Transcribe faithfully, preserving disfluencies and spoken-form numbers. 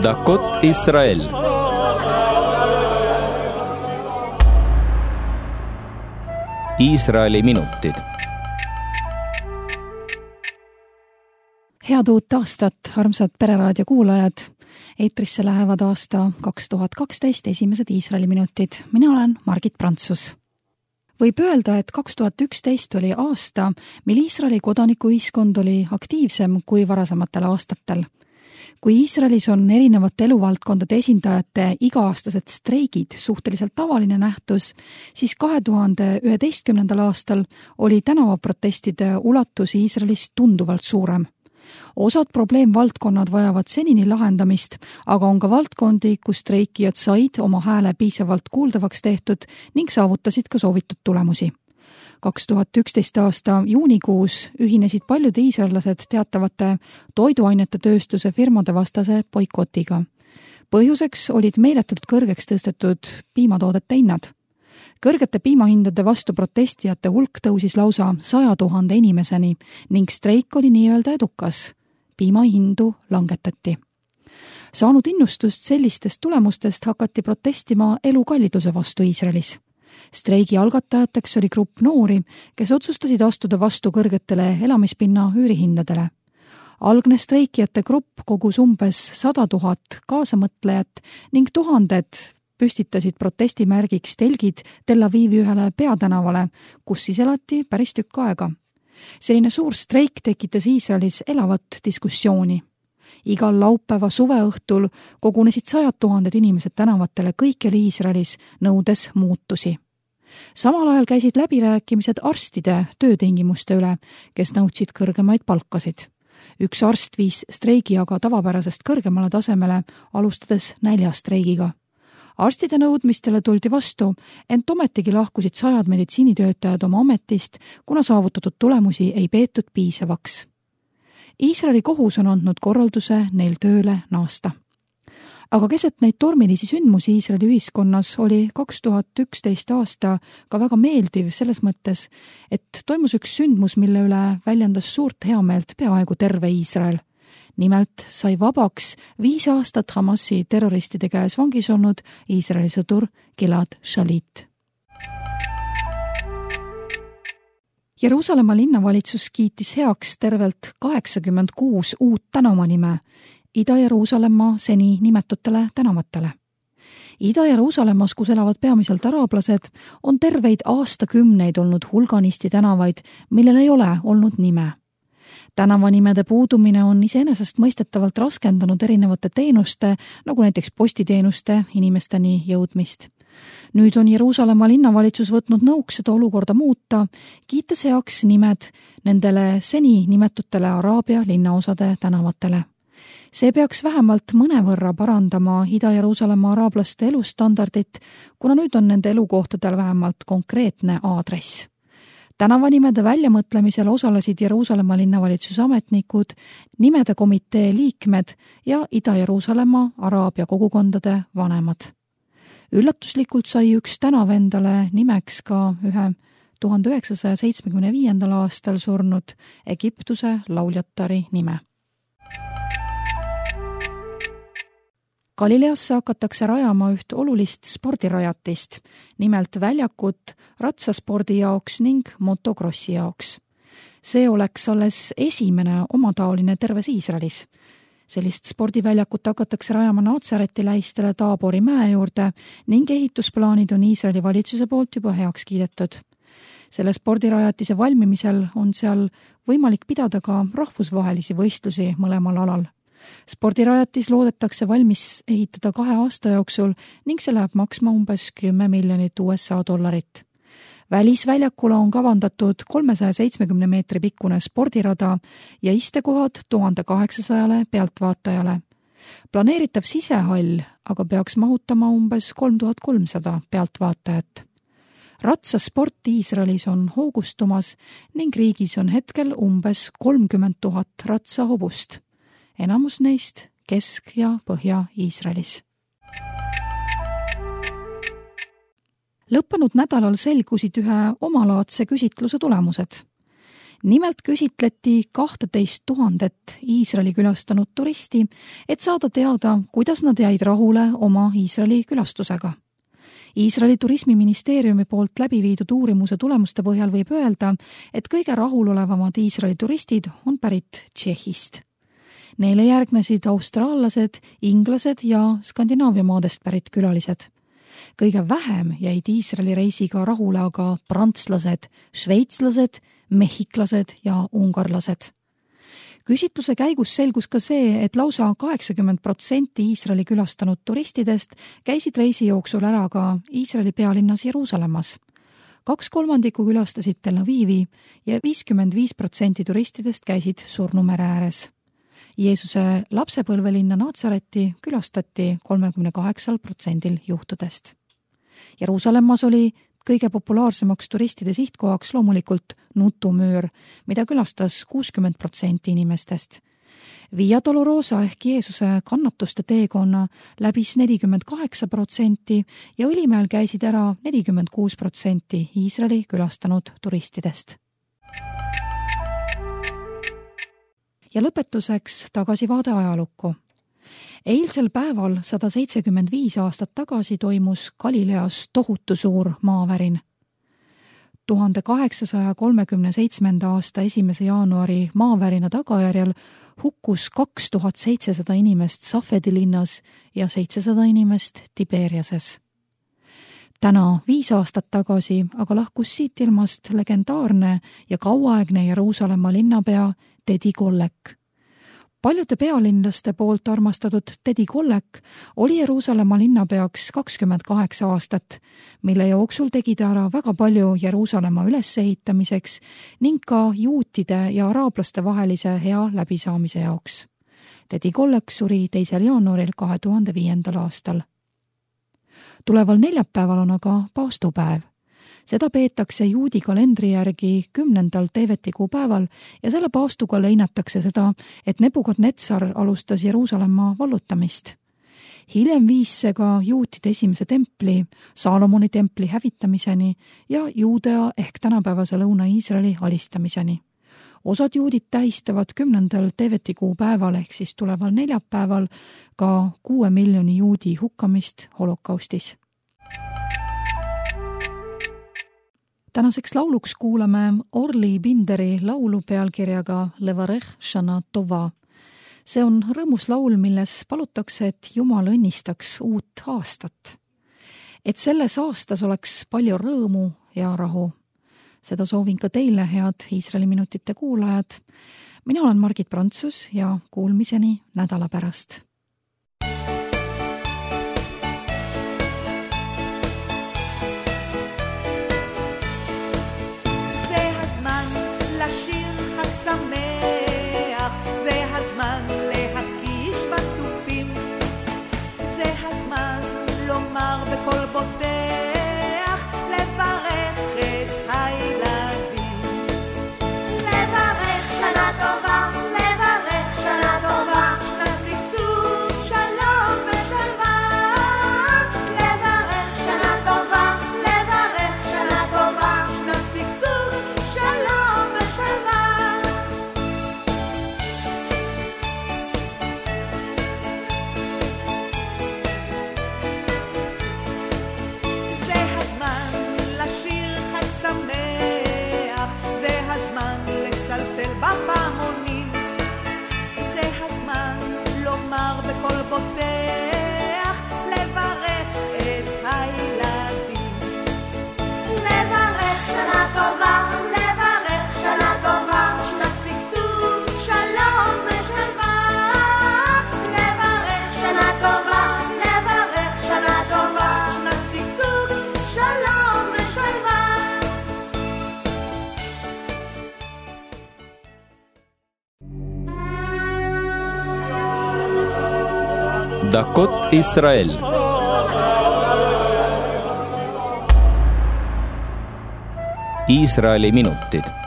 דקות ישראל. Iisraeli minutid. Head uut aastat, armsad Pereraadio kuulajad. Eetrisse lähevad aasta kaks tuhat kaksteist esimesed Iisraeli minutid. Mina olen Margit Prantsus. Võib öelda, et kaks tuhat üksteist oli aasta, mil Iisraeli kodanikuühiskond oli aktiivsem kui varasematel aastatel. Kui Iisraelis on erinevate eluvaldkondade esindajate iga-aastased streigid suhteliselt tavaline nähtus, siis kahe tuhande üheteistkümnendal aastal oli tänavaprotestide ulatus Iisraelis tunduvalt suurem. Osad probleemvaldkonnad vajavad senini lahendamist, aga on ka valdkondi, kus streikijad said oma hääle piisavalt kuuldavaks tehtud ning saavutasid ka soovitud tulemusi. kaks tuhat üksteist aasta juunikuus ühinesid paljud iisraellased teatavate toiduainete tööstuse firmade vastase boikotiga. Põhjuseks olid meeletult kõrgeks tõstetud piimatoodete hinnad. Kõrgete piimahindade vastu protestijate hulk tõusis lausa saja tuhande inimeseni ning streik oli nii-öelda edukas. Piimahindu langetati. Saanud innustust sellistest tulemustest hakati protestima elukalliduse vastu Iisraelis. Streigi algatajateks oli grupp noori, kes otsustasid astuda vastu kõrgetele elamispinna üürihindadele. Algne streikijate grupp kogus umbes sada tuhat kaasamõtlejat ning tuhanded püstitasid protestimärgiks telgid Tel Avivi ühele peatänavale, kus siis elati päris tükk aega. Selline suur streik tekitas Iisraelis elavat diskussiooni. Igal laupäeva suveõhtul kogunesid sajad tuhanded inimesed tänavatele kõikjal Iisraelis, nõudes muutusi. Samal ajal käisid läbirääkimised arstide töötingimuste üle, kes nõudsid kõrgemaid palkasid. Üks arst viis streigi aga tavapärasest kõrgemale tasemele, alustades näljastreigiga. Arstide nõudmistele tuldi vastu, ent ometigi lahkusid sajad meditsiinitöötajad oma ametist, kuna saavutatud tulemusi ei peetud piisavaks. Iisraeli kohus on andnud korralduse neil tööle naasta. Aga keset neid tormilisi sündmusi Iisraeli ühiskonnas oli kaks tuhat üksteist aasta ka väga meeldiv selles mõttes, et toimus üks sündmus, mille üle väljendas suurt heameelt peaaegu terve Iisrael. Nimelt sai vabaks viis aastat Hamasi terroristide käes vangis olnud Iisraeli sõdur Gilad Shalit. Jeruusalemma linnavalitsus kiitis heaks tervelt kaheksakümmend kuus uut tänavanime Ida-Jeruusalemma seni nimetutele tänavatele. Ida-Jeruusalemmas, kus elavad peamiselt araablased, on terveid aastakümneid olnud hulganisti tänavaid, millel ei ole olnud nime. Tänavanimede puudumine on iseenesest mõistetavalt raskendanud erinevate teenuste, nagu näiteks postiteenuste inimesteni jõudmist. Nüüd on Jeruusalemma linnavalitsus võtnud nõuks seda olukorda muuta, kiites heaks nimed nendele seni nimetutele Araabia linnaosade tänavatele. See peaks vähemalt mõnevõrra parandama Ida-Jeruusalemma araablaste elustandardit, kuna nüüd on nende elukohtadel vähemalt konkreetne aadress. Tänavanimede väljamõtlemisel osalesid Jeruusalemma linnavalitsuse ametnikud, nimede komitee liikmed ja Ida-Jeruusalemma araabia kogukondade vanemad. Üllatuslikult sai üks tänav endale nimeks ka ühe tuhande üheksasaja seitsmekümne viiendal aastal surnud Egiptuse lauljatari nime. Galileasse hakatakse rajama üht olulist spordirajatist, nimelt väljakut ratsaspordi jaoks ning motokrossi jaoks. See oleks alles esimene omataoline terves Iisraelis. Sellist spordiväljakut hakatakse rajama Naatsareti lähistele Taabori mäe juurde ning ehitusplaanid on Iisraeli valitsuse poolt juba heaks kiidetud. Selle spordirajatise valmimisel on seal võimalik pidada ka rahvusvahelisi võistlusi mõlemal alal. Spordirajatis loodetakse valmis ehitada kahe aasta jooksul ning see läheb maksma umbes kümme miljonit U S A dollarit. Välisväljakule on kavandatud kolmesaja seitsmekümne meetri pikkune spordirada ja istekohad tuhande kaheksasajale pealtvaatajale. Planeeritav sisehall aga peaks mahutama umbes kolm tuhat kolmsada pealtvaatajat. Ratsasport Iisraelis on hoogustumas ning riigis on hetkel umbes kolmkümmend tuhat ratsahobust. Enamus neist Kesk- ja Põhja-Iisraelis. Lõppenud nädalal selgusid ühe omalaadse küsitluse tulemused. nimelt küsitleti kahteteist tuhandet Iisraeli külastanud turisti, et saada teada, kuidas nad jäid rahule oma Iisraeli külastusega. Iisraeli turismiministeeriumi poolt läbi viidud uurimuse tulemuste põhjal võib öelda, et kõige rahulolevamad Iisraeli turistid on pärit Tšehhist. Neile järgnesid austraallased, inglased ja Skandinaavia maadest pärit külalised. Kõige vähem jäid Iisraeli reisiga rahule aga prantslased, šveitslased, mehhiklased ja ungarlased. Küsitluse käigus selgus ka see, et lausa kaheksakümmend protsenti Iisraeli külastanud turistidest käisid reisi jooksul ära ka Iisraeli pealinnas Jeruusalemmas. Kaks kolmandikku külastasid Tel Avivi ja viiskümmend viis protsenti turistidest käisid Surnumere ääres. Jeesuse lapsepõlvelinna Natsareti külastati kolmekümne kaheksal protsendil juhtudest. Jeruusalemmas oli kõige populaarsemaks turistide sihtkohaks loomulikult Nutumüür, mida külastas kuuskümmend protsenti inimestest. Via Dolorosa ehk Jeesuse kannatuste teekonna läbis nelikümmend kaheksa protsenti ja Õlimäel käisid ära nelikümmend kuus protsenti Iisraeli külastanud turistidest. Ja lõpetuseks tagasivaade ajalukku. Eilsel päeval sada seitsekümmend viis aastat tagasi toimus Galileas tohutu suur maavärin. tuhande kaheksasaja kolmekümne seitsmenda aasta esimese jaanuari maavärina tagajärjel hukkus kaks tuhat seitsesada inimest Safedi linnas ja seitsesada inimest Tiberiases. Täna viis aastat tagasi aga lahkus siit ilmast legendaarne ja kauaaegne Jeruusalemma linnapea Tedi Kollek. Paljude pealinlaste poolt armastatud Tedi Kollek oli Jeruusalemma linnapeaks kakskümmend kaheksa aastat, mille jooksul tegi ta ära väga palju Jeruusalemma ülesehitamiseks ning ka juutide ja araablaste vahelise hea läbisaamise jaoks. Tedi Kollek suri teisel jaanuaril kahe tuhande viiendal aastal. Tuleval neljapäeval on aga paastupäev. Seda peetakse juudi kalendri järgi kümnendal Teevetikuu päeval ja selle paastuga leinatakse seda, et Nebukadnetsar alustas Jeruusalemma vallutamist. Hiljem viis see ka juutide esimese templi, Saalomoni templi hävitamiseni ja Juudea ehk tänapäevase Lõuna-Iisraeli alistamiseni. Osad juudid tähistavad kümnendal Teevetikuu päeval ehk siis tuleval neljapäeval ka kuue miljoni juudi hukkamist holokaustis. Tänaseks lauluks kuulame Orli Binderi laulu pealkirjaga Levarech Shana Tova. See on rõõmus laul, milles palutakse, et Jumal õnnistaks uut aastat. Et selles aastas oleks palju rõõmu ja rahu. Seda soovin ka teile, head Iisraeli minutite kuulajad. Mina olen Margit Prantsus ja kuulmiseni nädala pärast. שמח, זה הזמן להקיש בטופים, זה הזמן לומר בכל בוטח, לברך את הילדים. לברך שנה טובה, לברך שנה טובה, שנת שגשוג, שלום ושלווה. לברך שנה טובה, לברך שנה טובה, שנת שגשוג, שלום ושלווה. שמח, זה הזמן לצלצל בפעמונים, זה הזמן לומר בכל בוטח, לברך את הילדים. לברך שנה טובה, לברך שנה טובה, שנת שגשוג, שלום ושלווה. לברך שנה טובה, לברך שנה טובה, שנת שגשוג, שלום ושלווה. דקות ישראל. Iisraeli minutid.